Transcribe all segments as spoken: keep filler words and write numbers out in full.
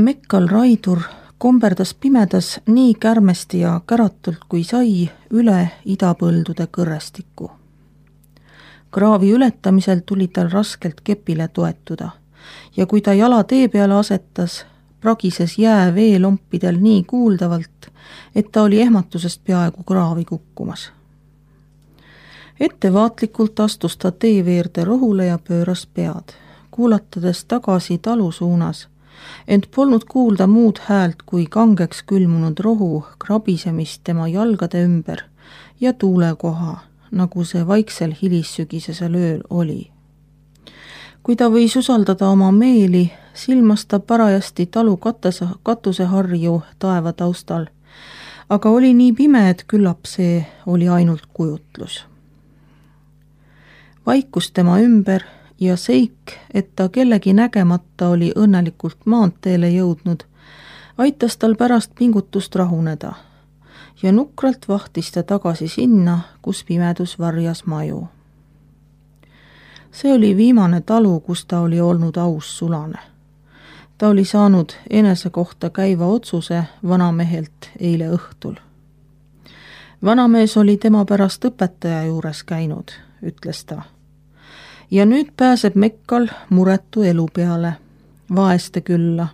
Mekkal Raidur komberdas pimedas nii kärmesti ja käratult kui sai üle idapõldude kõrrestikku. Kraavi ületamisel tuli tal raskelt kepile toetuda ja kui ta jala tee peale asetas, pragises jää veelompidel nii kuuldavalt, et ta oli ehmatusest peaaegu kraavi kukkumas. Ettevaatlikult astus ta teeveerde rohule ja pööras pead, kuulatades tagasi talu suunas, ent polnud kuulda muud häält kui kangeks külmunud rohu krabisemist tema jalgade ümber ja tuulekoha, nagu see vaiksel hilissügisesel ööl oli. Kui ta võis usaldada oma meeli, silmas ta parajasti talu katuse, katuseharju taeva taustal, aga oli nii pime, et küllap see oli ainult kujutlus. Vaikus tema ümber ja seik, et ta kellegi nägemata oli õnnelikult maanteele jõudnud, aitas tal pärast pingutust rahuneda ja nukralt vahtis ta tagasi sinna, kus pimedus varjas maju. See oli viimane talu, kus ta oli olnud aus sulane. Ta oli saanud enese kohta käiva otsuse vanamehelt eile õhtul. Vanamees oli tema pärast õpetaja juures käinud, ütles ta. Ja nüüd pääseb Mekkal muretu elu peale, vaeste külla.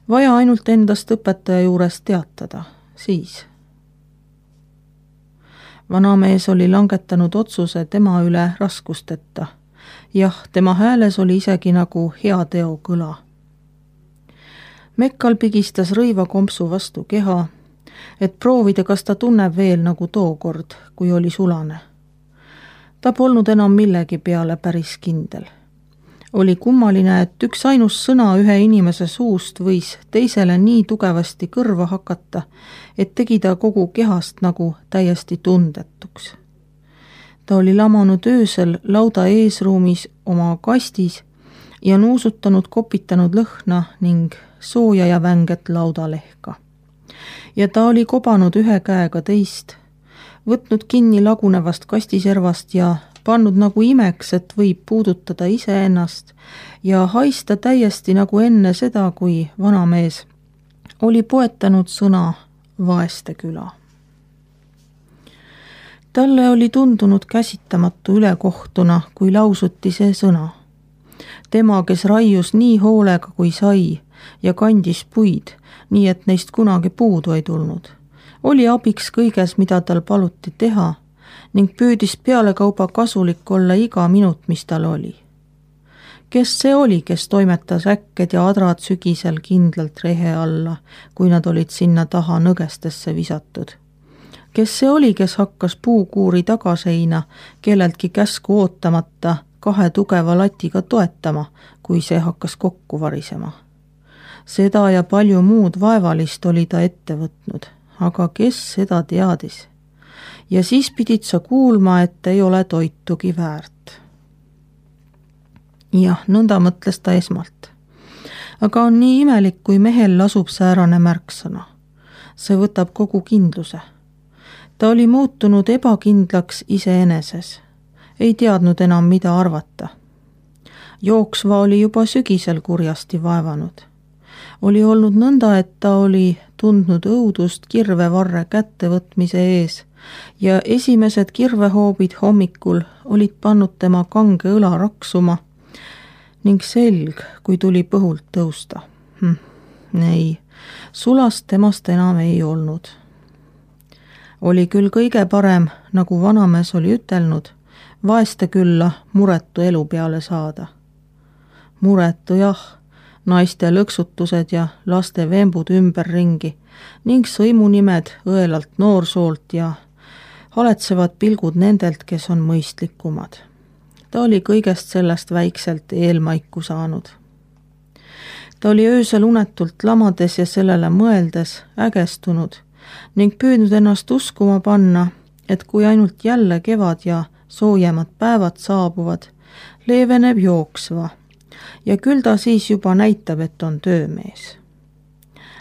Vaja ainult endast õpetaja juures teatada, siis. Vanamees oli langetanud otsuse tema üle raskusteta. Jah, tema hääles oli isegi nagu hea teo kõla. Mekkal pigistas rõiva kompsu vastu keha, et proovida, kas ta tunneb veel nagu tookord, kui oli sulane. Ta polnud enam millegi peale päris kindel. Oli kummaline, et üks ainus sõna ühe inimese suust võis teisele nii tugevasti kõrva hakata, et tegi ta kogu kehast nagu täiesti tundetuks. Ta oli lamanud öösel lauda eesruumis oma kastis ja nuusutanud kopitanud lõhna ning sooja ja vänget laudalehka. Ja ta oli kobanud ühe käega teist, võtnud kinni lagunevast kastiservast ja pannud nagu imeks, et võib puudutada iseennast ja haista täiesti nagu enne seda, kui vanamees oli poetanud sõna vaeste küla. Talle oli tundunud käsitamatu ülekohtuna, kui lausuti see sõna. Tema, kes raius nii hoolega kui sai ja kandis puid, nii et neist kunagi puudu ei tulnud, oli abiks kõiges, mida tal paluti teha ning püüdis pealekauba kasulik olla iga minut, mis tal oli. Kes see oli, kes toimetas äkked ja adrad sügisel kindlalt rehe alla, kui nad olid sinna taha nõgestesse visatud? Kes see oli, kes hakkas puukuuri tagaseina kelleltki käsku ootamata kahe tugeva latiga toetama, kui see hakkas kokku varisema? Seda ja palju muud vaevalist oli ta ette võtnud, aga kes seda teadis? Ja siis pidid sa kuulma, et ei ole toitugi väärt. Jah, nõnda mõtles ta esmalt. Aga on nii imelik, kui mehel lasub säärane märksõna. See võtab kogu kindluse. Ta oli muutunud ebakindlaks iseeneses. Ei teadnud enam, mida arvata. Jooksva oli juba sügisel kurjasti vaevanud. Oli olnud nõnda, et ta oli tundnud õudust kirvevarre kättevõtmise ees ja esimesed kirvehoobid hommikul olid pannud tema kange õla raksuma ning selg, kui tuli põhult tõusta. Hm, ei, sulast temast enam ei olnud. Oli küll kõige parem, nagu vanamees oli ütelnud, vaeste külla muretu elu peale saada. Muretu jah, naiste lõksutused ja laste vembud ümberringi ning sõimunimed õelalt noorsoolt ja haletsevad pilgud nendelt, kes on mõistlikumad. Ta oli kõigest sellest väikselt eelmaiku saanud. Ta oli öösel unetult lamades ja sellele mõeldes ägestunud ning püüdnud ennast uskuma panna, et kui ainult jälle kevad ja soojemad päevad saabuvad, leeveneb jooksva ja küll ta siis juba näitab, et on töömees.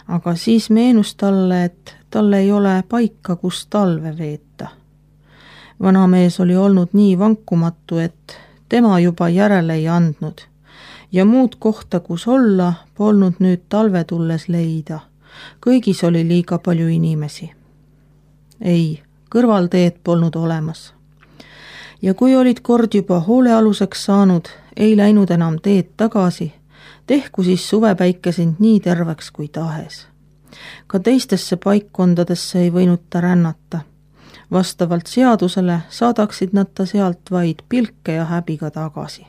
Aga siis meenus talle, et talle ei ole paika, kus talve veeta. Vanamees oli olnud nii vankumatu, et tema juba järele ei andnud ja muud kohta, kus olla, polnud nüüd talve tulles leida. Kõigis oli liiga palju inimesi. Ei, kõrvalteed polnud olemas. Ja kui olid kord juba hoolealuseks saanud, ei läinud enam teed tagasi, tehku siis suvepäike sind nii terveks kui tahes. Ka teistesse paikkondadesse ei võinud ta rännata. Vastavalt seadusele saadaksid nad ta sealt vaid pilke ja häbiga tagasi.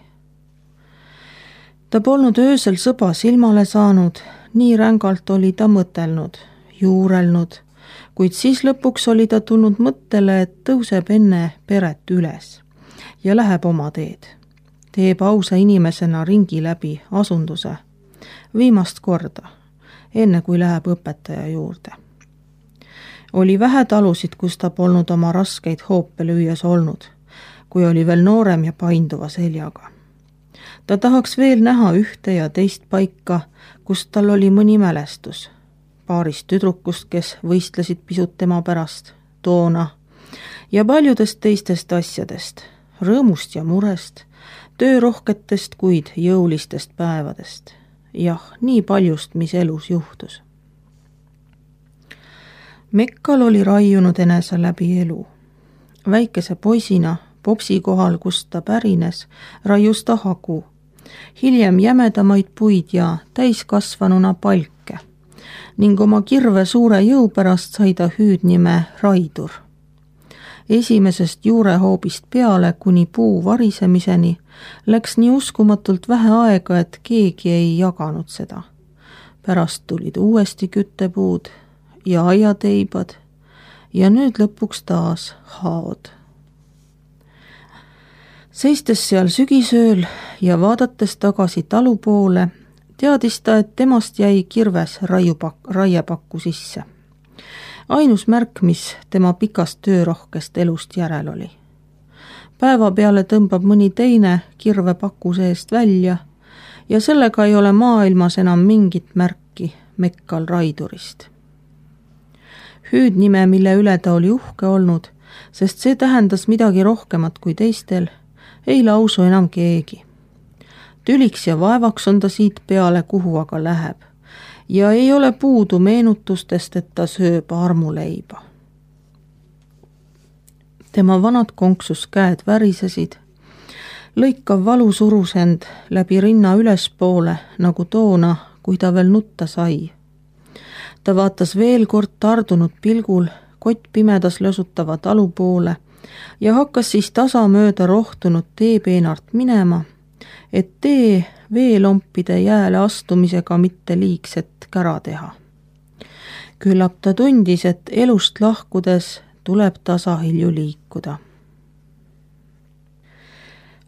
Ta polnud öösel sõba silmale saanud, nii rängalt oli ta mõtelnud, juurelnud, kuid siis lõpuks oli ta tulnud mõttele, et tõuseb enne peret üles ja läheb oma teed. Teeb ausa inimesena ringi läbi asunduse, viimast korda, enne kui läheb õpetaja juurde. Oli vähe talusid, kus ta polnud oma raskeid hoope lüües olnud, kui oli veel noorem ja painduva seljaga. Ta tahaks veel näha ühte ja teist paika, kus tal oli mõni mälestus. Paarist tüdrukust, kes võistlesid pisut tema pärast, toona, ja paljudest teistest asjadest, rõõmust ja murest, töörohketest, kuid jõulistest päevadest. Jah, nii paljust, mis elus juhtus. Mekkal oli raiunud enese läbi elu. Väikese poisina, popsi kohal, kust ta pärines, raius ta hagu. Hiljem jämedamaid puid ja täiskasvanuna palke ning oma kirve suure jõu pärast sai ta hüüdnime Raidur. Esimesest juurehoobist peale kuni puu varisemiseni läks nii uskumatult vähe aega, et keegi ei jaganud seda. Pärast tulid uuesti küttepuud ja aiateibad ja nüüd lõpuks taas haod. Seistes seal sügisööl ja vaadates tagasi talu poole, teadis ta, et temast jäi kirves raiupak- raiepakku sisse. Ainus märk, mis tema pikast töörohkest elust järel oli. Päeva peale tõmbab mõni teine kirve paku seest välja ja sellega ei ole maailmas enam mingit märki Mekkal Raidurist. Hüüdnime, mille üle ta oli uhke olnud, sest see tähendas midagi rohkemat kui teistel, ei lausu enam keegi. Tüliks ja vaevaks on ta siit peale, kuhu aga läheb, ja ei ole puudu meenutustest, et ta sööb armuleiba. Tema vanad konksus käed värisesid, lõikav valu surus end läbi rinna ülespoole, nagu toona, kui ta veel nutta sai. Ta vaatas veel kord tardunud pilgul kott pimedas lösutava talu poole ja hakkas siis tasamööda rohtunud teepeenart minema, et tee veelompide jääle astumisega mitte liigset kära teha. Küllap ta tundis, et elust lahkudes tuleb tasahilju liikuda.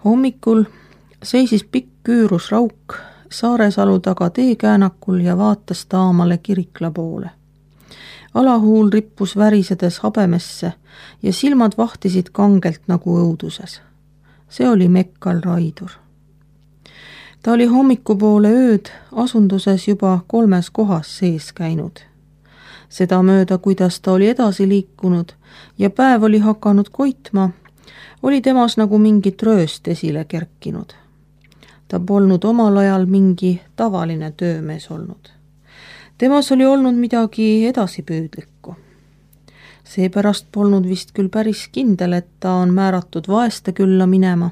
Hommikul seisis pikk küürus rauk Saaresalu taga teekäänakul ja vaatas taamale kirikla poole. Alahuul rippus värisedes habemesse ja silmad vahtisid kangelt nagu õuduses. See oli Mekkal Raidur. Ta oli hommikupoole ööd asunduses juba kolmes kohas sees käinud. Seda mööda, kuidas ta oli edasi liikunud ja päev oli hakanud koitma, oli temas nagu mingit rööst esile kerkinud. Ta polnud omal ajal mingi tavaline töömees olnud. Temas oli olnud midagi edasipüüdlikku. Seepärast polnud vist küll päris kindel, et ta on määratud vaeste külla minema,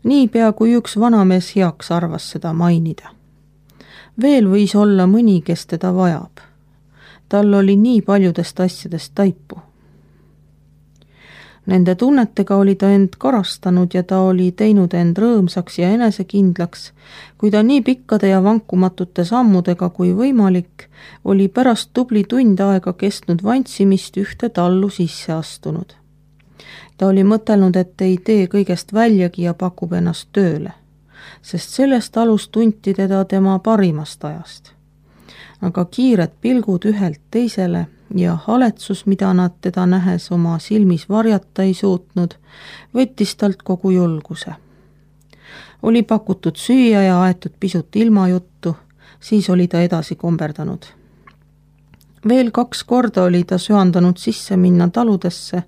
niipea kui üks vanamees heaks arvas seda mainida. Veel võis olla mõni, kes teda vajab. Tal oli nii paljudest asjadest taipu. Nende tunnetega oli ta end karastanud ja ta oli teinud end rõõmsaks ja enesekindlaks, kui ta nii pikkade ja vankumatute sammudega kui võimalik oli pärast tubli tund aega kestnud vantsimist ühte tallu sisse astunud. Ta oli mõtelnud, et ei tee kõigest väljagi ja pakub ennast tööle, sest sellest alust tunti teda tema parimast ajast. Aga kiired pilgud ühelt teisele ja haletsus, mida nad teda nähes oma silmis varjata ei suutnud, võttis talt kogu julguse. Oli pakutud süüa ja aetud pisut ilmajuttu, siis oli ta edasi komberdanud. Veel kaks korda oli ta söandanud sisse minna taludesse,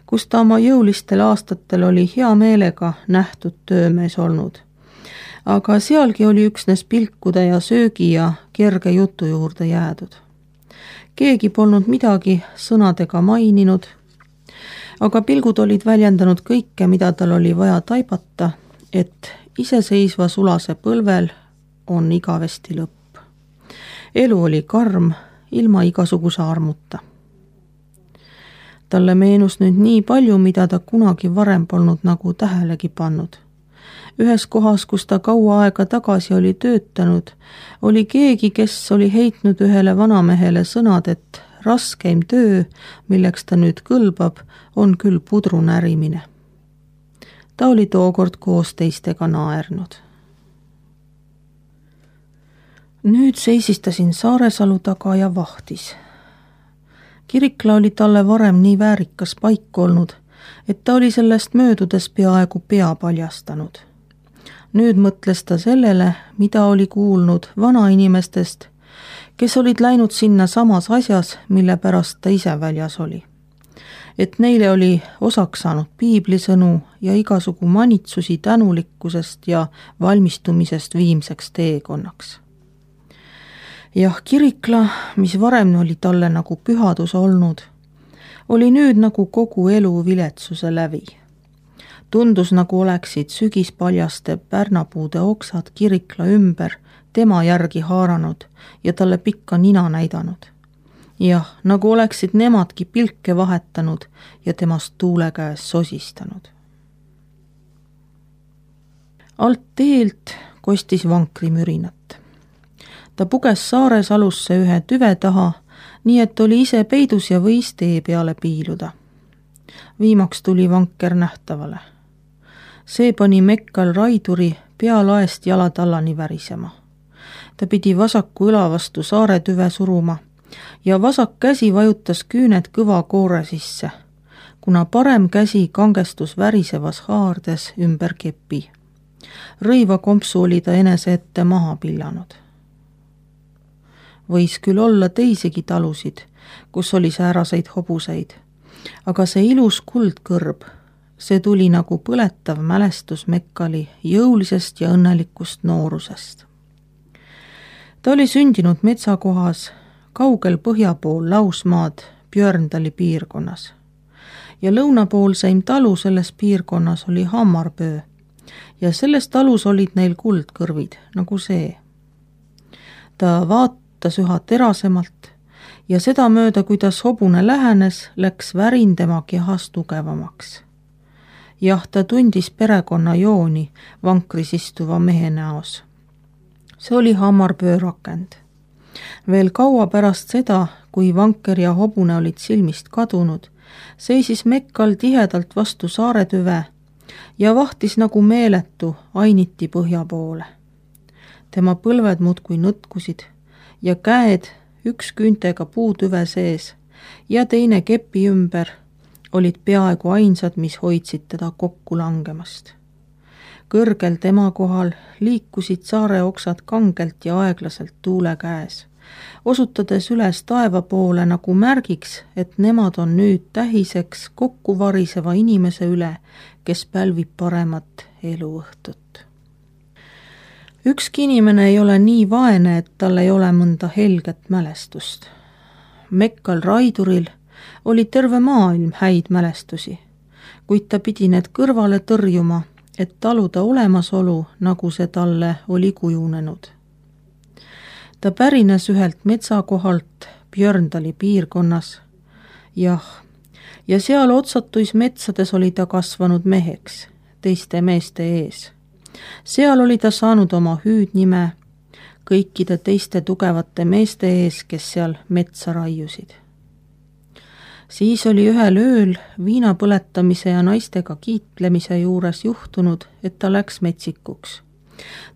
kus ta oma jõulistel aastatel oli hea meelega nähtud töömees olnud. aga sealgi oli üksnes pilkude ja söögi ja kerge jutu juurde jäädud. Keegi polnud midagi sõnadega maininud, aga pilgud olid väljendanud kõike, mida tal oli vaja taibata, et iseseisva sulase põlvel on igavesti lõpp. Elu oli karm, ilma igasuguse armuta. Talle meenus nüüd nii palju, mida ta kunagi varem polnud nagu tähelegi pannud. Ühes kohas, kus ta kaua aega tagasi oli töötanud, oli keegi, kes oli heitnud ühele vanamehele sõnad, et raskeim töö, milleks ta nüüd kõlbab, on küll pudru närimine. Ta oli tookord koos teistega naernud. Nüüd seisis ta siin Saaresalu taga ja vahtis. Kirikla oli talle varem nii väärikas paik olnud, et ta oli sellest möödudes peaaegu pea paljastanud. Nüüd mõtles ta sellele, mida oli kuulnud vanainimestest, kes olid läinud sinna samas asjas, mille pärast ta ise väljas oli. Et neile oli osaks saanud piiblisõnu ja igasugu manitsusi tänulikkusest ja valmistumisest viimseks teekonnaks. Jah, kirikla, mis varem oli talle nagu pühadus olnud, oli nüüd nagu kogu elu viletsuse lävi. Tundus, nagu oleksid sügispaljaste pärnapuude oksad kirikla ümber tema järgi haaranud ja talle pikka nina näidanud. Jah, nagu oleksid nemadki pilke vahetanud ja temast tuule käes sosistanud. Alt teelt kostis vankrimürinat. Ta puges Saaresalusse ühe tüve taha, nii et oli ise peidus ja võis tee peale piiluda. Viimaks tuli vanker nähtavale. See pani Mekkal Raiduri pealaest jalatallani värisema. Ta pidi vasaku õla vastu saare tüve suruma ja vasak käsi vajutas küüned kõva koore sisse, kuna parem käsi kangestus värisevas haardes ümber kepi. Rõiva kompsu oli ta enese ette maha pillanud. Võis küll olla teisigi talusid, kus oli sääraseid hobuseid, aga see ilus kuldkõrb, see tuli nagu põletav mälestus Mekkali jõulisest ja õnnelikust noorusest. Ta oli sündinud metsakohas, kaugel põhja pool Lausmaad Björndali piirkonnas. Ja lõunapoolseim talu selles piirkonnas oli Hammarböö ja selles talus olid neil kuldkõrvid, nagu see. Ta vaatas üha terasemalt ja seda mööda, kuidas hobune lähenes, läks värin tema kehas tugevamaks. Jah, ta tundis perekonna jooni vankris istuva mehe näos. See oli Hammarböö rakend. Veel kaua pärast seda, kui vanker ja hobune olid silmist kadunud, seisis Mekkal tihedalt vastu saaretüve ja vahtis nagu meeletu ainiti põhja poole. Tema põlved muudkui nõtkusid ja käed üks küüntega puutüve sees ja teine kepi ümber olid peaaegu ainsad, mis hoidsid teda kokku langemast. Kõrgel tema kohal liikusid saare oksad kangelt ja aeglaselt tuule käes, osutades üles taeva poole nagu märgiks, et nemad on nüüd tähiseks kokku variseva inimese üle, kes pälvib paremat eluõhtut. Ükski inimene ei ole nii vaene, et tal ei ole mõnda helget mälestust. Mekkal Raiduril oli terve maailm häid mälestusi, kuid ta pidi need kõrvale tõrjuma, et taluda olemasolu, nagu see talle oli kujunenud. Ta pärines ühelt metsakohalt Björndali piirkonnas, jah, ja seal otsatuis metsades oli ta kasvanud meheks, teiste meeste ees. Seal oli ta saanud oma hüüdnime kõikide teiste tugevate meeste ees, kes seal metsa raiusid. Siis oli ühel ööl viina põletamise ja naistega kiitlemise juures juhtunud, et ta läks metsikuks.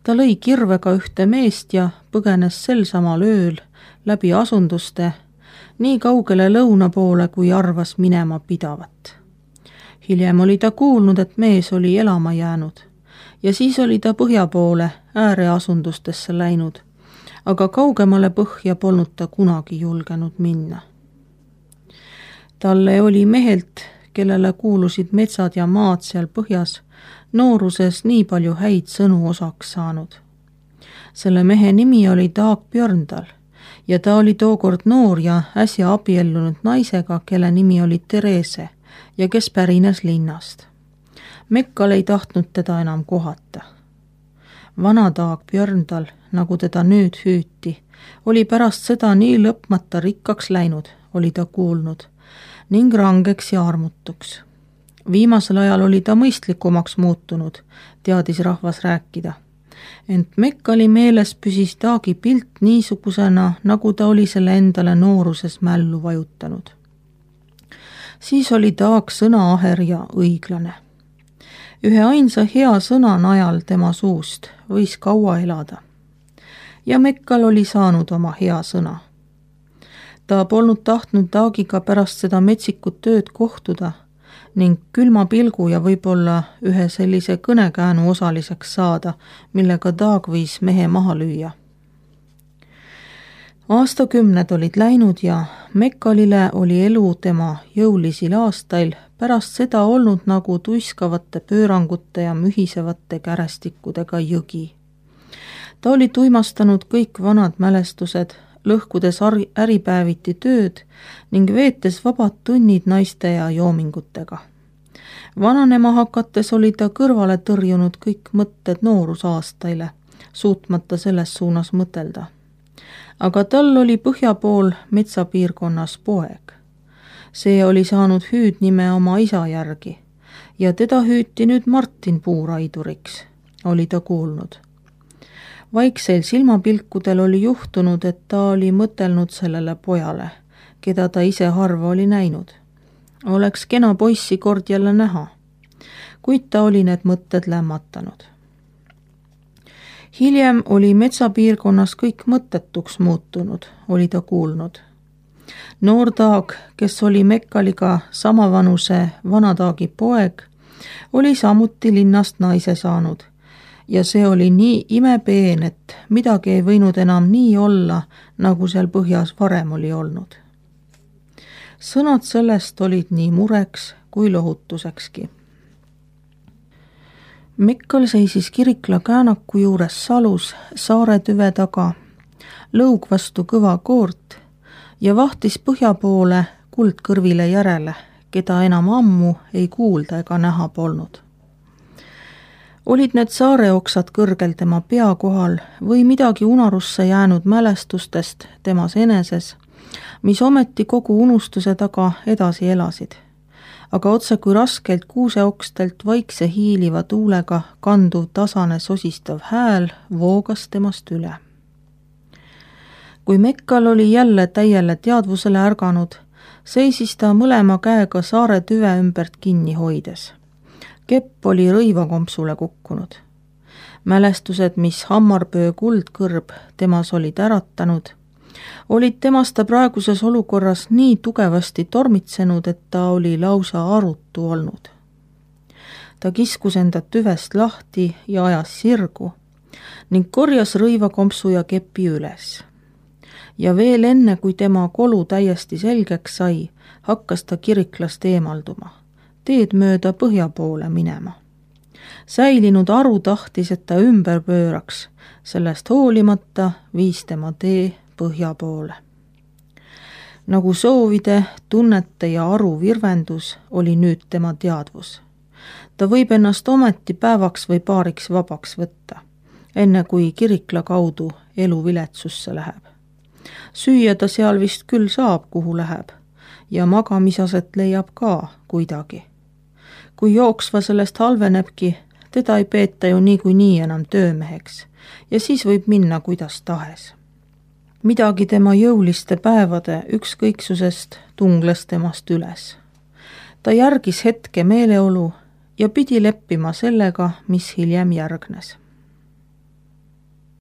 Ta lõi kirvega ühte meest ja põgenes sel samal ööl läbi asunduste nii kaugele lõuna poole, kui arvas minema pidavat. Hiljem oli ta kuulnud, et mees oli elama jäänud ja siis oli ta põhja poole ääreasundustesse läinud, aga kaugemale põhja polnud ta kunagi julgenud minna. Talle oli mehelt, kellele kuulusid metsad ja maad seal põhjas, nooruses nii palju häid sõnu osaks saanud. Selle mehe nimi oli Dag Björndal ja ta oli tookord noor ja äsja abiellunud naisega, kelle nimi oli Therese ja kes pärines linnast. Mekkal ei tahtnud teda enam kohata. Vana Dag Björndal, nagu teda nüüd hüüti, oli pärast seda nii lõpmata rikkaks läinud, oli ta kuulnud, ning rangeks ja armutuks. Viimasel ajal oli ta mõistlikumaks muutunud, teadis rahvas rääkida. Ent Mekkali meeles püsis Dagi pilt niisugusena, nagu ta oli selle endale nooruses mällu vajutanud. Siis oli Dag sõnaaher ja õiglane. Ühe ainsa hea sõna najal tema suust võis kaua elada. Ja Mekkal oli saanud oma hea sõna. Ta polnud tahtnud Dagiga pärast seda metsikut tööd kohtuda ning külma pilgu ja võib-olla ühe sellise kõnekäänu osaliseks saada, millega Dag võis mehe maha lüüa. Aastakümned olid läinud ja Mekkalile oli elu tema jõulisil aastail pärast seda olnud nagu tuiskavate pöörangute ja mühisevate kärestikkudega jõgi. Ta oli tuimastanud kõik vanad mälestused, lõhkudes äripäeviti tööd ning veetes vabad tunnid naiste ja joomingutega. Vananema hakates oli ta kõrvale tõrjunud kõik mõtted noorusaastaile, suutmata selles suunas mõtelda. Aga tal oli põhja pool metsapiirkonnas poeg. See oli saanud hüüdnime oma isa järgi ja teda hüüti nüüd Martin Puuraiduriks, oli ta kuulnud. Vaikseil silmapilkudel oli juhtunud, et ta oli mõtelnud sellele pojale, keda ta ise harva oli näinud. Oleks kena poissi kord jälle näha, kuid ta oli need mõtted lämmatanud. Hiljem oli metsapiirkonnas kõik mõttetuks muutunud, oli ta kuulnud. Noor Dag, kes oli Mekkaliga samavanuse vana Dagi poeg, oli samuti linnast naise saanud ja see oli nii imepeen, et midagi ei võinud enam nii olla, nagu seal põhjas varem oli olnud. Sõnad sellest olid nii mureks kui lohutusekski. Mekkal seisis Kirikla käänaku juures salus saare tüve taga, lõug vastu kõva koort ja vahtis põhja poole kuldkõrvile järele, keda enam ammu ei kuulda ega näha polnud. Olid need saareoksad kõrgel tema pea kohal või midagi unarusse jäänud mälestustest temas eneses, mis ometi kogu unustuse taga edasi elasid, aga otse kui raskelt kuuseokstelt vaikse hiiliva tuulega kanduv tasane sosistav hääl voogas temast üle. Kui Mekkal oli jälle täiele teadvusele ärganud, seisis ta mõlema käega saare tüve ümbert kinni hoides. Kepp oli rõivakompsule kukkunud. Mälestused, mis hammarpöö kuldkõrb temas olid äratanud, olid temast ta praeguses olukorras nii tugevasti tormitsenud, et ta oli lausa arutu olnud. Ta kiskus enda tüvest lahti ja ajas sirgu ning korjas rõivakompsu ja kepi üles. Ja veel enne, kui tema kolu täiesti selgeks sai, hakkas ta Kiriklast eemalduma, teed mööda põhja poole minema. Säilinud aru tahtis, et ta ümber pööraks, sellest hoolimata viis tema tee põhja poole. Nagu soovide, tunnete ja aru virvendus oli nüüd tema teadvus. Ta võib ennast ometi päevaks või paariks vabaks võtta, enne kui Kirikla kaudu elu viletsusse läheb. Süüa ta seal vist küll saab, kuhu läheb, ja magamisaset leiab ka kuidagi. Kui jooksva sellest halvenebki, teda ei peeta ju niikuinii enam töömeheks ja siis võib minna kuidas tahes. Midagi tema jõuliste päevade ükskõiksusest tungles temast üles. Ta järgis hetke meeleolu ja pidi leppima sellega, mis hiljem järgnes.